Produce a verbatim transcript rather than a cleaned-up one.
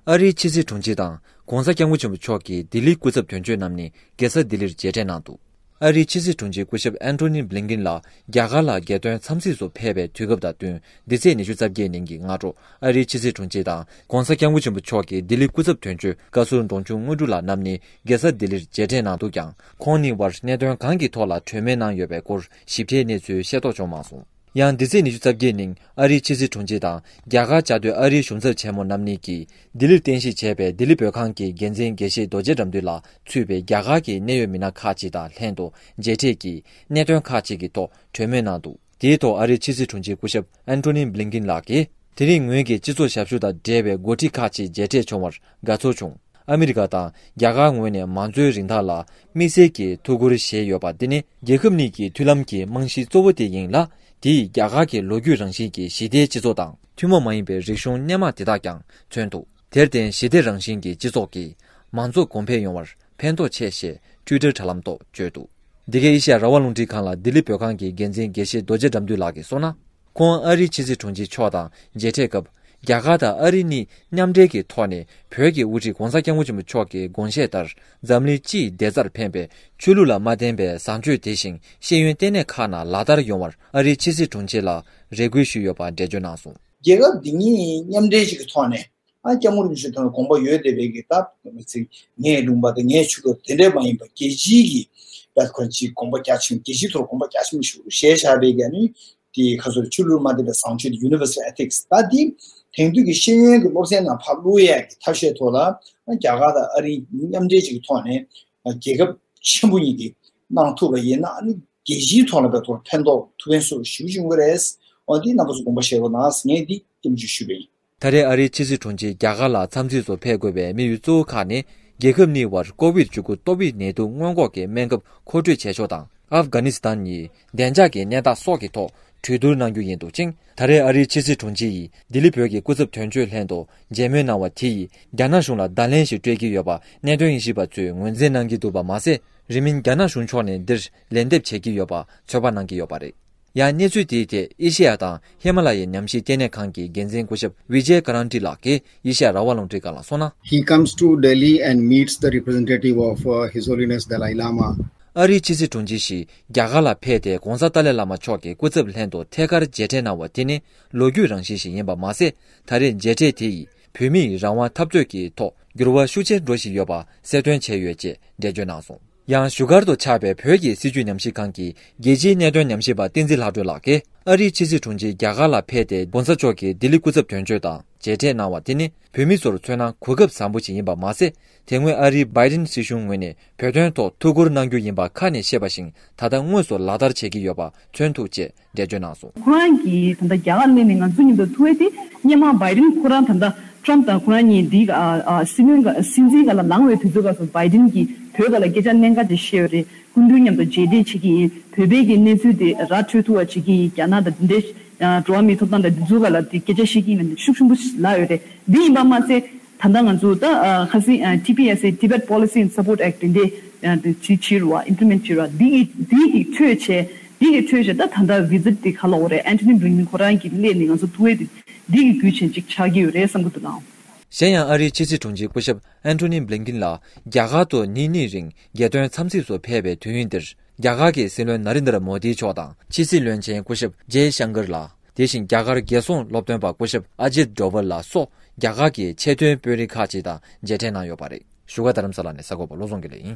ཨ་རིའི་ཕྱི་སྲིད་དྲུང་ཆེ་དང་༸གོང་ས་༸སྐྱབས་མགོན་ཆེན་པོ་མཆོག་གི་ལྡི་ལིའི་སྐུ་ཚབ་དོན་གཅོད་རྣམ་གཉིས་རྒྱལ་ས་ལྡི་ལིར་མཇལ་འཕྲད་གནང་འདུག་ཨ་རིའི་ཕྱི་སྲིད་དྲུང་ཆེ་སྐུ་ཞབས་ཨན་ཐོ་ནི་བྷི་ལིན་ཀིན་ལགས་རྒྱ་གར་ལ་རྒྱལ་དོན་འཚམས་གཟིགས་སུ་ཕེབས་པའི་དུས་སྐབས་དང་བསྟུན། འདི་ཚེས་ཉི་ཤུ་རྩ་བརྒྱད་ཉིན་གྱི་སྔ་དྲོ། ཨ་རིའི་ཕྱི་སྲིད་དྲུང་ཆེ་དང་༸གོང་ས་༸སྐྱབས་མགོན་ཆེན་པོ་མཆོག་གི་ལྡི་ལི་སྐུ་ཚབ་དོན་གཅོད་བཀའ་ཟུར་འབྲོང་ཆུང་དངོས་གྲུབ་ལགས་རྣམ་གཉིས་རྒྱལ་ས་ལྡི་ལིར་མཇལ་འཕྲད་གནང་འདུག་ཀྱང་། ཁོང་གཉིས་བར་གནད་དོན་གང་གི་ཐོག་ལ་གྲོས་མོལ་གནང་ཡོད་པའི་སྐོར་ཞིབ་ཕྲའི་གནས་ཚུལ་ཤེས་རྟོགས་བྱུང་མ་སོང་། ཡང་། འདི་ཚེས་ཉི་ཤུ་རྩ་བརྒྱད་ཉིན་ཨ་རིའི་ཕྱི་སྲིད་དྲུང་ཆེ་དང་རྒྱ་གར་བཅའ་སྡོད་ཨ་རིའི་གཞུང་ཚབ་ཆེན་མོ་རྣམ་གཉིས་ཀྱིས་ལྡི་ལིར་རྟེན་གཞི་བྱས་པའི་ལྡི་ལི་བོད་ཁང་གི་འགན་འཛིན་དགེ་བཤེས་རྡོ་རྗེ་དགྲ་འདུལ་ལགས་གཙོས་པའི་རྒྱ་གར་གྱི་གནད་ཡོད་མི་སྣ་ཁག་ཅིག་དང་ལྷན་དུ་མཇལ་འཕྲད་ཀྱིས་གནད་དོན་ཁག་ཅིག་གི་ཐོག་གྲོས་མོལ་གནང་འདུག་དེའི་ཐོག་ཨ་རིའི་ཕྱི་སྲིད་དྲུང་ཆེ་སྐུ་ཞབས་ཨན་ཐོ་ནི་བྷི་ལིན་ཀིན་ལགས་ཀྱིས། དེ་རིང་ངོས་ཀྱིས་སྤྱི་ཚོགས་ཞབས་ཞུ་དང་འབྲེལ་བའི་འགོ་ཁྲིད་ཁག་ཅིག་མཇལ་འཕྲད་བྱུང་བར་དགའ་ཚོར་བྱུང་། ཨ་མི་རི་ཀ་དང་རྒྱ་གར་ངོས་ནས་མང་གཙོའི་རིན་ཐང་ལ་དམིགས་བསལ་གྱི་ཐུགས་ཁུར་བཞེས་ཡོད་པ་འདི་ནི་རྒྱལ་ཁབ་གཉིས་ཀྱི་མཐུན་ལམ་གྱི་རྨང་གཞི་གཙོ་བོ་དེ་ཡིན་ལ། དེས་རྒྱ་གར་གྱི་ལོ་རྒྱུས་རང་བཞིན་གྱི་ཞི་བདེའི་སྤྱི་ཚོགས་དང་ཐུན་མོང་མ་ཡིན་པའི་རིག་གཞུང་སྣེ་མང་དེ་དག་ཀྱང་མཚོན་ཐུབ། དེར་བརྟེན་ཞི་བདེ་རང་བཞིན་གྱི་སྤྱི་ཚོགས་ཀྱིས་མང་གཙོ་གོང་འཕེལ་ཡོང་བར་ཕན་ཐོགས་ཆེ་ཞེས་ཊུའི་ཊར་དྲ་ལམ་ཐོག་བརྗོད་འདུག་འདི་གའི་ཨེ་ཤ་ཡ་རང་དབང་རླུང་འཕྲིན་ཁང་ལ་ལྡི་ལི་བོད་ཁང་གི་འགན་འཛིན་དགེ་བཤེས་རྡོ་རྗེ་དགྲ་འདུལ་ལགས་ཀྱིས་གསུངས་ན། ཁོང་ཨ་རིའི་ཕྱི་སྲིད་དྲུང་ཆེ་མཆོག་དང་མཇལ་འཕྲད་སྐབས། རྒྱ་གར་དང་ཨ་རི་གཉིས་མཉམ་འབྲེལ་གྱི་ཐོག་ནས་བོད་ཀྱི་དབུ་ཁྲིད་༸གོང་ས་༸སྐྱབས་མགོན་ཆེན་པོ་མཆོག་གི་དགོངས་བཞེད་ལྟར། འཛམ་གླིང་སྤྱིའི་བདེ་རྩར་ཕན་པའི་ཆོས་ལུགས་ལ་མ་བརྟེན་པའི་བཟང་སྤྱོད་དེ་བཞིན་ཤེས་ཡོན་ལྟེ་གནས་ཁག་ནང་ལག་བསྟར་ཡོང་བར་ཨ་རིའི་ཕྱི་སྲིད་དྲུང་ཆེ་ལ་རེ་སྐུལ་ཞུས་ཡོད་པ་འགྲེལ་བརྗོད་གནང་སོང་། རྒྱལ་ཁབ་འདི་གཉིས་མཉམ་འབྲེལ་ཞིག་གི་ཐོག་ནས། ཨ་སྐྱབས་མགོན་རིན་པོ་ཆེ་དང་དགོངས་པ་ཡོད་བསྡད་པའི་གི་ད་མི་ཚེ་ངའི་ལུང་པ་དང་ངའི་ཆུ་ཁ་དེ་འདྲས་མ་ཡིན་པ་རྒྱལ་སྤྱིའི་གི་བད་ཁོ་ཅིག་དགོངས་པ་རྒྱ་ཆེན་རྒྱལ་སྤྱིའི་ཐོག་དགོངས་པ་རྒྱ་ཆེན་པོ་ཞིག་བཞེས་བཞག་པའི་གི་ཨ་ནི་དེ་ཁ་སོར་ཆུ་ལུར་མ་བསྡད་པའི་བཟང་སྤྱོད་དེ་Universal Ethics ད་དེ་དེང་དུས་ཀྱི་ཤེས་ཡོན་གྱི་སློབ་ཚན་ནང་ཕར་བླུག་ཡས་ཀྱི་ཐབས་ཤེས་ཐོག་ལ་ཨ་རྒྱ་གར་དང་ཨ་རི་མཉམ་འབྲེལ་ཅིག་གི་ཐོག་ནས་ཨ་རྒྱལ་ཁབ་ཆེན་པོ་གཉིས་ཀྱིས་གནང་ཐུབ་པ་ཡིན་ན་ཨ་ནི་རྒྱལ་སྤྱིའི་ཐོག་ལ་བས་ཐོག་ཕན་ཐོགས་ཐུབ་ཕན་སོགས་ཞུ་བྱུང་གི་རེད། འོ་འདི་རྣམ་པ་ཚོ་དགོངས་པ་བཞེས་རོགས་གནང་ངས་འདི་སྐྱབས་འཇུག་ཞུས་པ་ཡིན། ད་རེས་ཨ་རིའི་ཕྱི་སྲིད་དྲུང་ཆེ་རྒྱ་གར་ལ་འཚམས་གཟིགས་སུ་ཕེབས་དགོས་པའི་དམིགས་ཡུལ་གཙོ་བོ་ཁག་ནི། རྒྱལ་ཁབ་གཉིས་བར་ཀོ་བིད་བཅུ་དགུ་ཏོག་དབྱིབས་ནད་དུག་སྔོན་འགོག་གི་སྨན་ཁབ་མཁོ་སྤྲོད་བྱེད་ཕྱོགས་དང་། ཨབ་གྷ་ནི་སི་ཐན་གཉིས་བདེ་འཇགས་ཀྱི་གནས་སྟངས་སོགས་ཀྱི་ཐོག་གྲོས་བསྡུར་གནང་རྒྱུ་ཡིན་འདུག་ཅིང་། ད་རེས་ཨ་རིའི་ཕྱི་སྲིད་དྲུང་ཆེ་ཡིས་ལྡི་ལི་བོད་ཀྱི་སྐུ་ཚབ་དོན་གཅོད་ལྷན་དུ་མཇལ་མོལ་གནང་བ་དེ་ཡིས་རྒྱ་ནག་གཞུང་ལ་བརྡ་ལན་ཞིག་སྤྲོད་ཀྱི་ཡོད་པ་གནད་དོན་དབྱེ་ཞིབ་པ་ཚོས་ངོས་འཛིན་གནང་གི་འདུག་པ་མ་ཟད། རིང་མིན་རྒྱ་ནག་གཞུང་ཕྱོགས་ནས་འདིར་ལན་འདེབས་བྱེད་ཀྱི་ཡོད་པ་ཚོད་དཔག་གནང་གི་ཡོད་པ་རེད། ཡང་གནས་ཚུལ་དེའི་ཐད་ཨེ་ཤེ་ཡ་དང་ཧི་མ་ལ་ཡའི་ཉམས་ཞིབ་ལྟེ་གནས་ཁང་གི་འགན་འཛིན་སྐུ་ཞབས་ཝི་ཇེ་ཀ་རན་ཏི་ལགས་ཀྱིས་ཨེ་ཤེ་ཡ་རང་དབང་རླུང་འཕྲིན་ཁང་ལ་གསུངས་ན། He comes to Delhi and meets the representative of uh, His Holiness Dalai Lama. ཨ་རིའི་ཕྱི་སྲིད་དྲུང་ཆེ་ཞིག་རྒྱ་གར་ལ་ཕེབས་ཏེ་༸གོང་ས་ཏཱ་ལའི་བླ་མ་མཆོག་གི་སྐུ་ཚབ་ལྷན་དུ་ཐད་ཀར་མཇལ་འཕྲད་གནང་བ་དེ་ནི་ལོ་རྒྱུས་རང་བཞིན་ཞིག་ཡིན་པ་མ་ཟད། ད་རེས་མཇལ་འཕྲད་དེ་ཡིས་བོད་མིའི་རང་དབང་འཐབ་རྩོད་ཀྱི་ཐོག་འགྱུར་བ་ཤུགས་ཆེན་འགྲོ་བཞིན་ཡོད་པ་གསལ་སྟོན་བྱས་ཡོད་ཅེས་འགྲེལ་བརྗོད་གནང་སོང་། ཡང་བཞུགས་སྒར་དུ་ཆགས་པའི་བོད་ཀྱི་སྲིད་བྱུས་ཉམས་ཞིབ་ཁང་གི་རྒྱལ་སྤྱིའི་གནད་དོན་ཉམས་ཞིབ་པ་བསྟན་འཛིན་ལྷག་སྒྲོན་ལགས་ཀྱིས། ཨ་རིའི་ཕྱི་སྲིད་དྲུང་ཆེ་རྒྱ་གར་ལ་ཕེབས་ཏེ་༸གོང་ས་མཆོག་གི་ལྡི་ལི་སྐུ་ཚབ་དོན་གཅོད་དང་མཇལ་འཕྲད་གནང་བ་དེ་ནི་བོད་མི་ཚོར་མཚོན་ན་གོ་སྐབས་བཟང་པོ་ཞིག་ཡིན་པ་མ་ཟད། དེ་སྔོན་ཨ་རིའི་བྷའི་ཌེན་སྲིད་གཞུང་ངོས་ནས་བོད་དོན་ཐོག་ཐུགས་ཁུར་གནང་རྒྱུ་ཡིན་པ་ཁ་ནས་བཤད་པ་བཞིན་ད་ལྟ་དངོས་སུ་ལག་བསྟར་བྱེད་ཀྱི་ཡོད་པ་མཚོན་ཐུབ་ཅེས་འགྲེལ་བརྗོད་གནང་སོང་། ཁོ་རང་གིས་ད་ལྟ་རྒྱ་གར་སླེབས་ནས་ང་ཚོ་མཉམ་དུ་ཐུག་པ་དེ་སྔོན་མ་བྷའི་ཌེན་ཁོ་རང་ད་ལྟ་ཊམ་དང་ཁོ་རང་གཉིས་འདི་ཨ་ཨ་སྲིད་བློན་སྲིད་འཛིན་སྒང་ལ་ལངས་པའི་དུས་ཚོད་སྐབས་སུ་བྷའི་ཌེན་གྱིས་བོད་སྒང་ལ་སྐད་ཆ་གནད་འགག་ཅིག་བཤད་ཡོད་རེད། སྐུ་མདུན་མཉམ་དུ་མཇལ་འཕྲད་བྱེད་ཀྱི་ཡིན། བོད་པའི་གི་གནས་ཚུལ་དེ་ར་འཕྲོད་ཐུབ་པ་བྱེད་ཀྱི་ཡིན། རྒྱ་ནག་དང་འདི་འདྲའི་འགྲོ་བ་མིའི་ཐོབ་ཐང་དང་འདི་ཚོའི་སྒང་ལ་དེ་སྐད་ཆ་བཤད་ཀྱི་ཡིན་ལབ་ནས་ཤུགས་ཆེན་པོ་ལབ་ཡོད་རེད། འདི་ཡིན་པ་མ་ཟད་ད་ལྟ་ང་ཚོ་ད་ཁ་སང་ཊི་པི་ཨེས་ཨེ། Tibet Policy and Support Act དེ་འདྲའི་དེ་བྱེད་བྱེད་རུ་བ་ཨིམ་པི་ལི་མེན་ཊི་བྱེད་རུ་བ་འདི་གི་འདི་གི་འཕྲོས་བྱས་འདི་གི་འཕྲོས་བྱས་ད་ད་ལྟ་བི་ཛིཊ་དེ་ག་ལ་འོ་རེད། ཨན་ཐོ་ནི་བྷི་ལིན་ཀིན་ཁོ་རང་གི་སླེབས་ནས་ང་ཚོ་ཐུག་པ་དེ་འདི་གི་བརྒྱུད་བྱས་ཅིག་ཆགས་ཀྱི་ཡོད་རེད་བསམ་གྱི་འདུག་ལགས། གཞན་ཡང་ཨ་རིའི་ཕྱི་སྲིད་དྲུང་ཆེ་སྐུ་ཞབས་ཨན་ཐོ་ནི་བྷི་ལིན་ཀིན་ལགས་རྒྱ་གར་དུ་ཉིན་གཉིས་རིང་རྒྱལ་དོན་འཚམས་གཟིགས་སུ་ཕེབས་པའི་དུས་ཡུན་འདིར། རྒྱ་གར་གྱི་སྲིད་བློན་ན་རེན་དྲ་མོ་དི་མཆོག་དང་ཕྱི་སྲིད་བློན་ཆེན་སྐུ་ཞབས་ཇེ་ཤང་ཀར་ལགས། དེ་བཞིན་རྒྱ་གར་རྒྱལ་སྲུང་སློབ་སྟོན་པ་སྐུ་ཞབས་ཨ་ཇིད་ཌོ་ཝལ་ལགས་སོགས་རྒྱ་གར་གྱི་ཆེས་མཐོའི་དཔོན་རིགས་ཁག་ཅིག་དང་མཇལ་འཕྲད་གནང་ཡོད་པ་རེད། བཞུགས་སྒར་རྡ་རམ་ས་ལ་ནས་གསར་འགོད་པ་བློ་བཟང་དགེ་ལེགས་ཡིན།